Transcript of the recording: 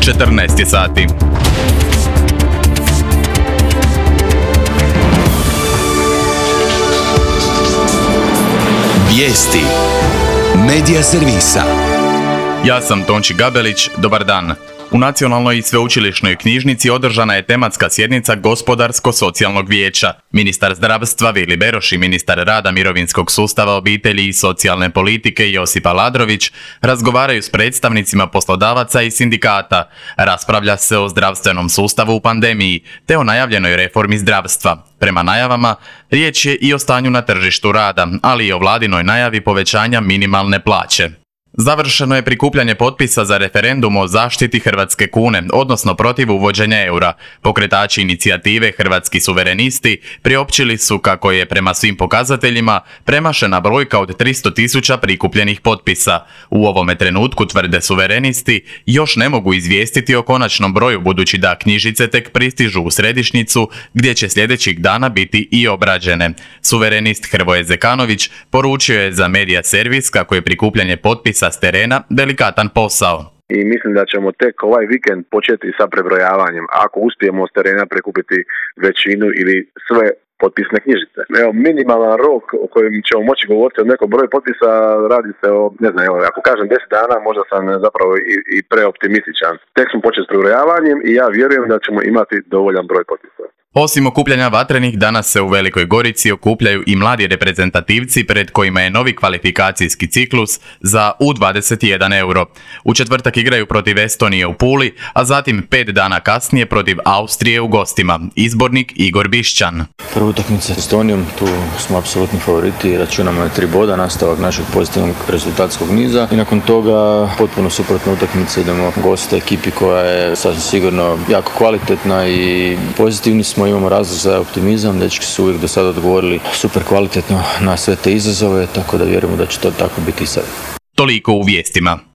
14 je sati. Vijesti Medija servisa. Ja sam Tonči Gabelić, dobar dan. U Nacionalnoj i sveučilišnoj knjižnici održana je tematska sjednica Gospodarsko-socijalnog vijeća. Ministar zdravstva Vili Beroš i ministar rada, mirovinskog sustava, obitelji i socijalne politike Josip Aladrović razgovaraju s predstavnicima poslodavaca i sindikata. Raspravlja se o zdravstvenom sustavu u pandemiji te o najavljenoj reformi zdravstva. Prema najavama, riječ je i o stanju na tržištu rada, ali i o vladinoj najavi povećanja minimalne plaće. Završeno je prikupljanje potpisa za referendum o zaštiti hrvatske kune, odnosno protiv uvođenja eura. Pokretači inicijative Hrvatski suverenisti priopćili su kako je prema svim pokazateljima premašena brojka od 300.000 prikupljenih potpisa. U ovome trenutku, tvrde suverenisti, još ne mogu izvijestiti o konačnom broju budući da knjižice tek pristižu u središnjicu gdje će sljedećih dana biti i obrađene. Suverenist Hrvoje Zekanović poručio je za Medija servis kako je prikupljanje potpisa s terena delikatan posao. I mislim da ćemo tek ovaj vikend početi sa prebrojavanjem, ako uspijemo s terena prikupiti većinu ili sve potpisne knjižice. Evo, minimalan rok o kojem ćemo moći govoriti o nekom broju potpisa, radi se o, ne znam, evo, ako kažem 10 dana, možda sam zapravo i preoptimističan. Tek smo počeli s prebrojavanjem i ja vjerujem da ćemo imati dovoljan broj potpisa. Osim okupljanja vatrenih, danas se u Velikoj Gorici okupljaju i mladi reprezentativci pred kojima je novi kvalifikacijski ciklus za U21 euro. U četvrtak igraju protiv Estonije u Puli, a zatim 5 dana kasnije protiv Austrije u gostima. Izbornik Igor Bišćan. Prva utakmica s Estonijom, tu smo apsolutni favoriti i računamo na 3 boda, nastavak našeg pozitivnog rezultatskog niza. I nakon toga potpuno suprotna utakmica, idemo goste ekipi koja je sasvim sigurno jako kvalitetna i pozitivni smo. Imamo razlog za optimizam, dečki su uvijek do sada odgovorili super kvalitetno na sve te izazove, tako da vjerujemo da će to tako biti i sad. Toliko u vijestima.